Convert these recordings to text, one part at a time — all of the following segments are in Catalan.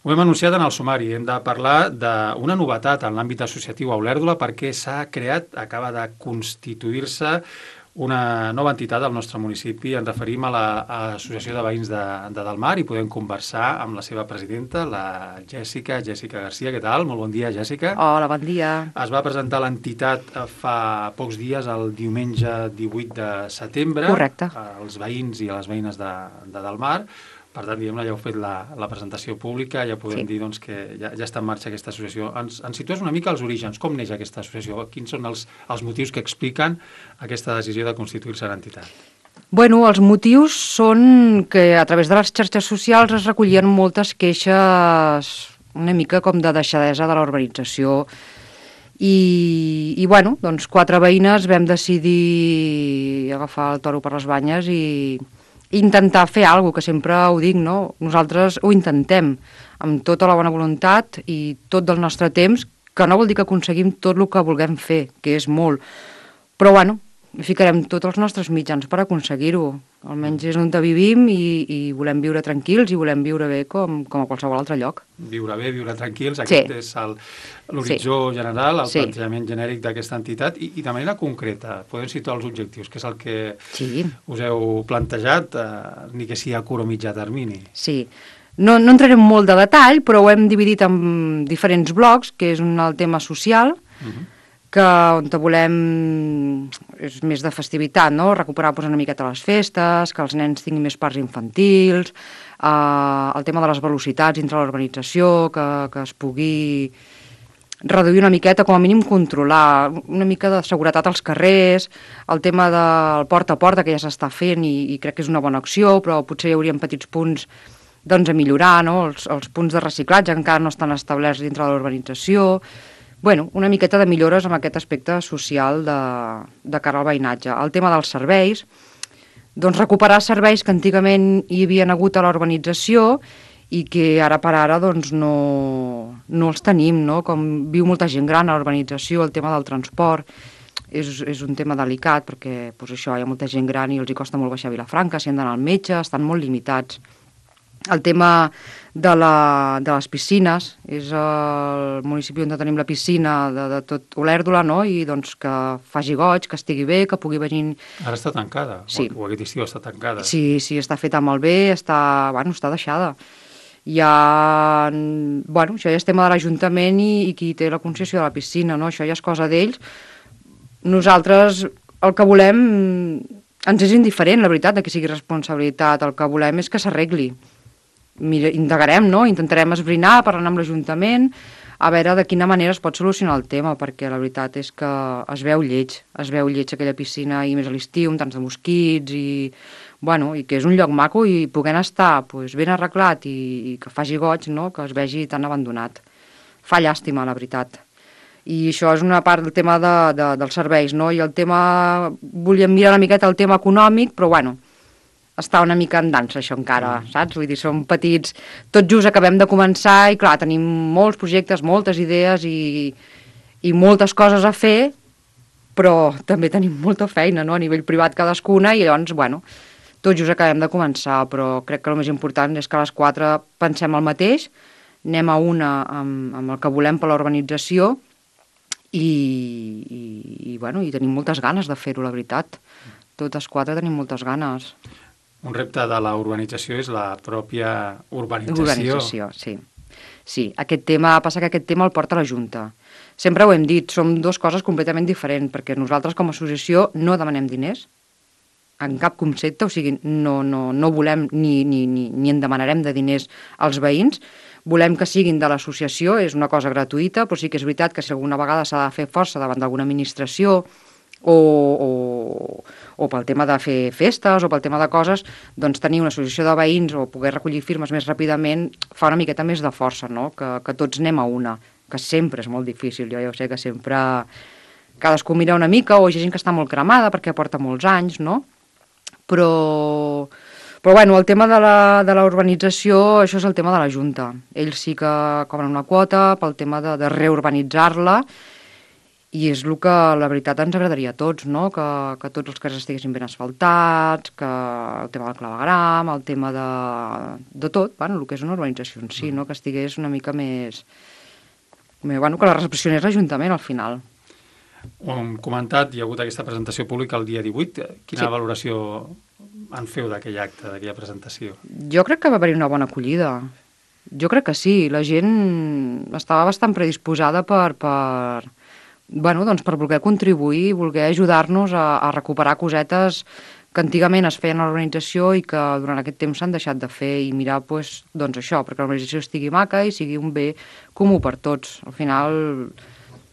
Ho hem anunciat en el sumari. Hem de parlar d'una novetat en l'àmbit associatiu a Olèrdola perquè acaba de constituir-se una nova entitat al nostre municipi. Ens referim a l'Associació de Veïns de Delmar i podem conversar amb la seva presidenta, la Jèssica Garcia. Què tal? Molt bon dia, Jèssica. Hola, bon dia. Es va presentar l'entitat fa pocs dies, el diumenge 18 de setembre. Correcte. Als veïns i a les veïnes de Delmar. Per tant, diguem-ne, ja heu fet la presentació pública, ja podem dir doncs, que ja està en marxa aquesta associació. Ens situes una mica als orígens. Com neix aquesta associació? Quins són els motius que expliquen aquesta decisió de constituir-se l'entitat? Bueno, els motius són que a través de les xarxes socials es recollien moltes queixes una mica com de deixadesa de la urbanització i bueno, doncs 4 veïnes vam decidir agafar el toro per les banyes i intentar fer alguna cosa, que sempre ho dic, no? Nosaltres ho intentem amb tota la bona voluntat i tot del nostre temps, que no vol dir que aconseguim tot el que vulguem fer, que és molt. Però bueno, ficarem tots els nostres mitjans per aconseguir-ho. Almenys és on vivim i volem viure tranquils i volem viure bé com a qualsevol altre lloc. Viure bé, viure tranquils, aquest és l'horitzó general, el plantejament genèric d'aquesta entitat i de manera concreta, podem situar els objectius, que és el que us heu plantejat, ni que sigui a curt o mitjà termini. Sí, no entrarem molt de detall, però ho hem dividit en diferents blocs, que és el tema social, que on volem és més de festivitat, no? Recuperar una miqueta les festes, que els nens tinguin més parcs infantils, el tema de les velocitats dintre l'urbanització, que es pugui reduir una miqueta, com a mínim controlar, una mica de seguretat als carrers, el tema del porta a porta, que ja s'està fent i crec que és una bona acció, però potser hi haurien petits punts doncs, a millorar, no? Els punts de reciclatge encara no estan establerts dintre de l'urbanització. Bueno, una miqueta de millores amb aquest aspecte social de cara al veïnatge. El tema dels serveis, doncs recuperar serveis que antigament hi havien hagut a l'urbanització i que ara per ara doncs, no els tenim, no? Com viu molta gent gran a l'urbanització, el tema del transport és un tema delicat perquè doncs, això, hi ha molta gent gran i els hi costa molt baixar a Vilafranca, si han d'anar al metge, estan molt limitats. El tema de les piscines, és el municipi on tenim la piscina de tot Olèrdola, no? I doncs que faci goig, que estigui bé, que pugui venir... Ara està tancada, o aquest estiu està tancada. Sí, està feta molt bé, està deixada. Això ja és tema de l'Ajuntament i qui té la concessió de la piscina, no? Això ja és cosa d'ells. Nosaltres el que volem ens és indiferent, la veritat, que sigui responsabilitat. El que volem és que s'arregli. Indagarem, no? Intentarem esbrinar, parlant amb l'Ajuntament, a veure de quina manera es pot solucionar el tema, perquè la veritat és que es veu lleig aquella piscina, i més a l'estiu, amb tants de mosquits, i que és un lloc maco, i poder estar ben arreglat i que faci goig, no? Que es vegi tan abandonat. Fa llàstima, la veritat. I això és una part del tema dels serveis, no? I el tema... Volíem mirar una miqueta el tema econòmic, però està una mica en dansa, això encara, saps? Vull dir, som petits, tot just acabem de començar i, clar, tenim molts projectes, moltes idees i moltes coses a fer, però també tenim molta feina, no?, a nivell privat cadascuna, i llavors, tot just acabem de començar, però crec que el més important és que a les 4 pensem el mateix, anem a una amb el que volem per l'urbanització i tenim moltes ganes de fer-ho, la veritat. Totes 4 tenim moltes ganes. Un repte de la urbanització és la pròpia urbanització. Sí. Aquest tema el porta la Junta. Sempre ho hem dit, som 2 coses completament diferents, perquè nosaltres com a associació no demanem diners, en cap concepte, o sigui, no volem ni en demanarem de diners als veïns, volem que siguin de l'associació, és una cosa gratuïta, però sí que és veritat que si alguna vegada s'ha de fer força davant d'alguna administració o pel tema de fer festes o pel tema de coses, doncs tenir una associació de veïns o poder recollir firmes més ràpidament fa una miqueta més de força, no? Que tots anem a una, que sempre és molt difícil. Jo ja ho sé que sempre cadascú mira una mica, o hi ha gent que està molt cremada perquè porta molts anys, no? Però el tema de la urbanització, això és el tema de la Junta. Ells sí que cobren una quota pel tema de reurbanitzar-la I és el que, la veritat, ens agradaria a tots, no? Que tots els carrers estiguessin ben asfaltats, que el tema del clavegram, el tema de tot, bueno, el que és una urbanització en si, no? Que estigués una mica més... Bueno, que la recepcionés l'Ajuntament, al final. Ho hem comentat, hi ha hagut aquesta presentació pública el dia 18. Quina valoració en feu d'aquell acte, d'aquella presentació? Jo crec que va haver-hi una bona acollida. Jo crec que sí. La gent estava bastant predisposada per voler contribuir i voler ajudar-nos a recuperar cosetes que antigament es feien a l'organització i que durant aquest temps s'han deixat de fer, i mirar, doncs això, perquè l'organització estigui maca i sigui un bé comú per tots. Al final,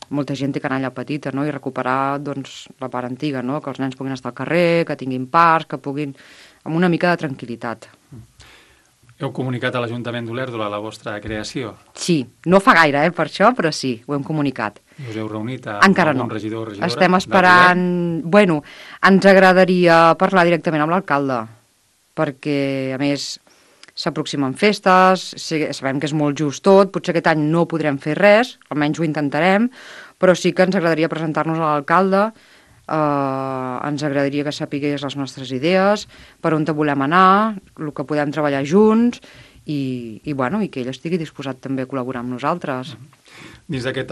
molta gent té canalla petita, no? I recuperar, doncs, la part antiga, no? Que els nens puguin estar al carrer, que tinguin parcs, que puguin... amb una mica de tranquil·litat. Heu comunicat a l'Ajuntament d'Olèrdola la vostra creació? Sí, no fa gaire, per això, però sí, ho hem comunicat. I us heu reunit encara amb no. un regidor o regidora? Estem esperant... Bueno, ens agradaria parlar directament amb l'alcalde, perquè, a més, s'aproximen festes, sabem que és molt just tot, potser aquest any no podrem fer res, almenys ho intentarem, però sí que ens agradaria presentar-nos a l'alcalde, ens agradaria que sapigués les nostres idees, per on volem anar, el que podem treballar junts i que ell estigui disposat també a col·laborar amb nosaltres. Dins d'aquest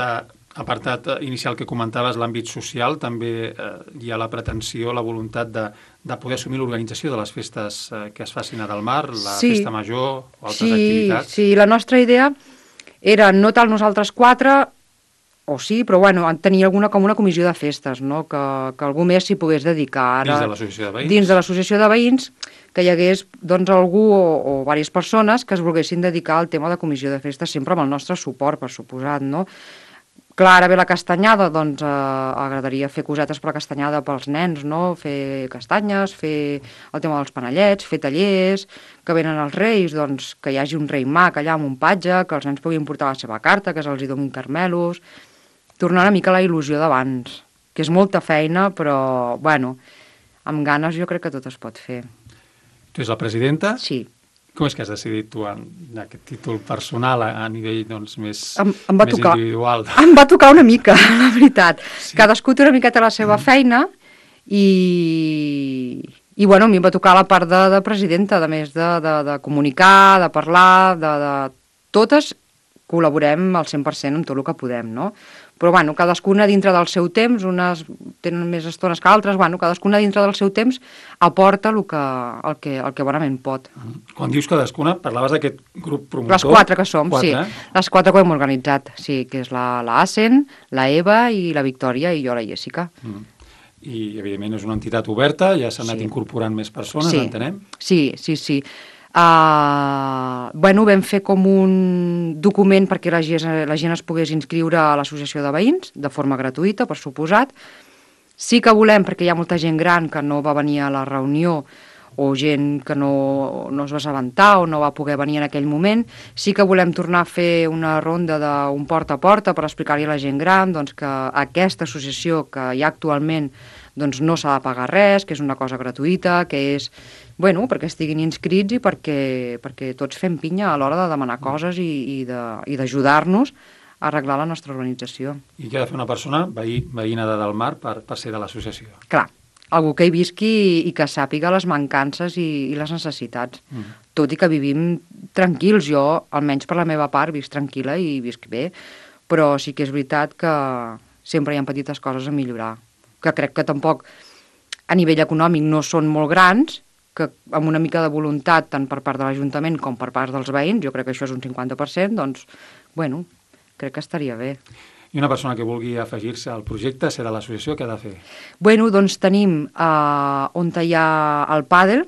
apartat inicial que comentaves, l'àmbit social, també hi ha la pretensió, la voluntat de poder assumir l'organització de les festes que es facin a Delmar, la festa major o altres activitats. Sí, la nostra idea era no tal nosaltres quatre, o sí, però tenir com una comissió de festes, no? Que algú més s'hi pogués dedicar. Dins de l'associació de veïns? Dins de l'associació de veïns, que hi hagués algú o diverses persones que es volguessin dedicar al tema de comissió de festes, sempre amb el nostre suport, per suposat, no? Clar, ara ve la castanyada, doncs agradaria fer cosetes per la castanyada pels nens, no? Fer castanyes, fer el tema dels panellets, fer tallers, que venen els reis, doncs que hi hagi un rei mag allà amb un patge, que els nens puguin portar la seva carta, que se'ls donin carmelos... Tornar una mica a la il·lusió d'abans, que és molta feina, però, amb ganes jo crec que tot es pot fer. Tu ets la presidenta? Sí. Com és que has decidit tu en aquest títol personal a nivell més individual? Em va tocar una mica, la veritat. Sí. Cadascú té una miqueta la seva feina i a mi em va tocar la part de presidenta, a més de comunicar, de parlar, de totes col·laborem al 100% amb tot el que podem, no? Però, cadascuna dintre del seu temps, unes tenen més estones que altres, cadascuna dintre del seu temps aporta el que bonament pot. Quan dius cadascuna, parlaves d'aquest grup promotor? Les 4 que som, sí. Les 4 que hem organitzat, sí, que és la Asen, la Eva i la Victòria i jo, la Jessica. I, evidentment, és una entitat oberta, ja s'han anat incorporant més persones, entenem? Sí. Vam fer com un document perquè la gent es pogués inscriure a l'associació de veïns, de forma gratuïta, per suposat. Sí que volem, perquè hi ha molta gent gran que no va venir a la reunió, o gent que no es va assabentar o no va poder venir en aquell moment, sí que volem tornar a fer una ronda d'un porta a porta per explicar-li a la gent gran que aquesta associació que hi ha actualment no s'ha de pagar res, que és una cosa gratuïta, que és perquè estiguin inscrits i perquè tots fem pinya a l'hora de demanar coses i d'ajudar-nos a arreglar la nostra organització. I què ha de fer una persona, veïna de Delmar, per ser de l'associació? Clar, algú que hi visqui i que sàpiga les mancances i les necessitats. Tot i que vivim tranquils, jo, almenys per la meva part, visc tranquil·la i visc bé, però sí que és veritat que sempre hi ha petites coses a millorar, que crec que tampoc a nivell econòmic no són molt grans, que amb una mica de voluntat, tant per part de l'Ajuntament com per part dels veïns, jo crec que això és un 50%, doncs, crec que estaria bé. I una persona que vulgui afegir-se al projecte, ser de l'associació, què ha de fer? Doncs tenim on hi ha el pàdel,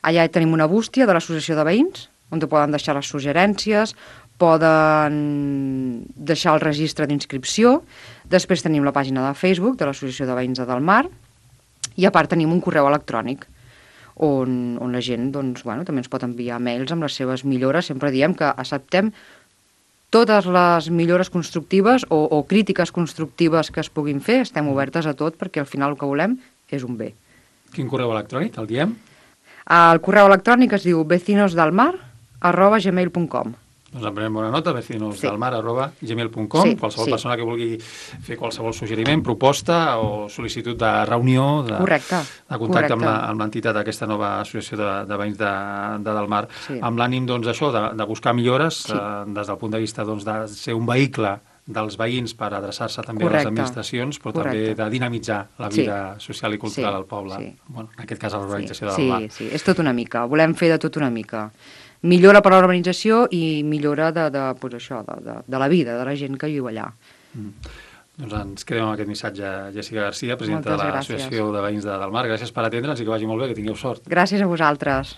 allà tenim una bústia de l'associació de veïns, on poden deixar les suggerències, poden deixar el registre d'inscripció, després tenim la pàgina de Facebook de l'Associació de Veïns de Delmar, i a part tenim un correu electrònic, on la gent també ens pot enviar mails amb les seves millores. Sempre diem que acceptem totes les millores constructives o crítiques constructives que es puguin fer, estem obertes a tot perquè al final el que volem és un bé. Quin correu electrònic, el diem? El correu electrònic es diu vecinosdelmar@gmail.com. Doncs en prenem bona nota, vecinosdelmar@gmail.com. Sí, Qualsevol sí. persona que vulgui fer qualsevol suggeriment, proposta o sol·licitud de reunió, de contacte amb l'entitat d'aquesta nova associació de veïns de Delmar, amb l'ànim, doncs, això, de buscar millores des del punt de vista, doncs, de ser un vehicle dels veïns per adreçar-se també a les administracions, però també de dinamitzar la vida social i cultural al poble. Bueno, en aquest cas, a l'urbanització de Delmar. Sí, és tot una mica. Volem fer de tot una mica. Millora per a l'urbanització i millora de la vida de la gent que viu allà. Doncs ens quedem amb aquest missatge. Jessica Garcia, presidenta de l'Associació de Veïns de Delmar. Gràcies per atendre'ns i que vagi molt bé, que tingueu sort. Gràcies a vosaltres.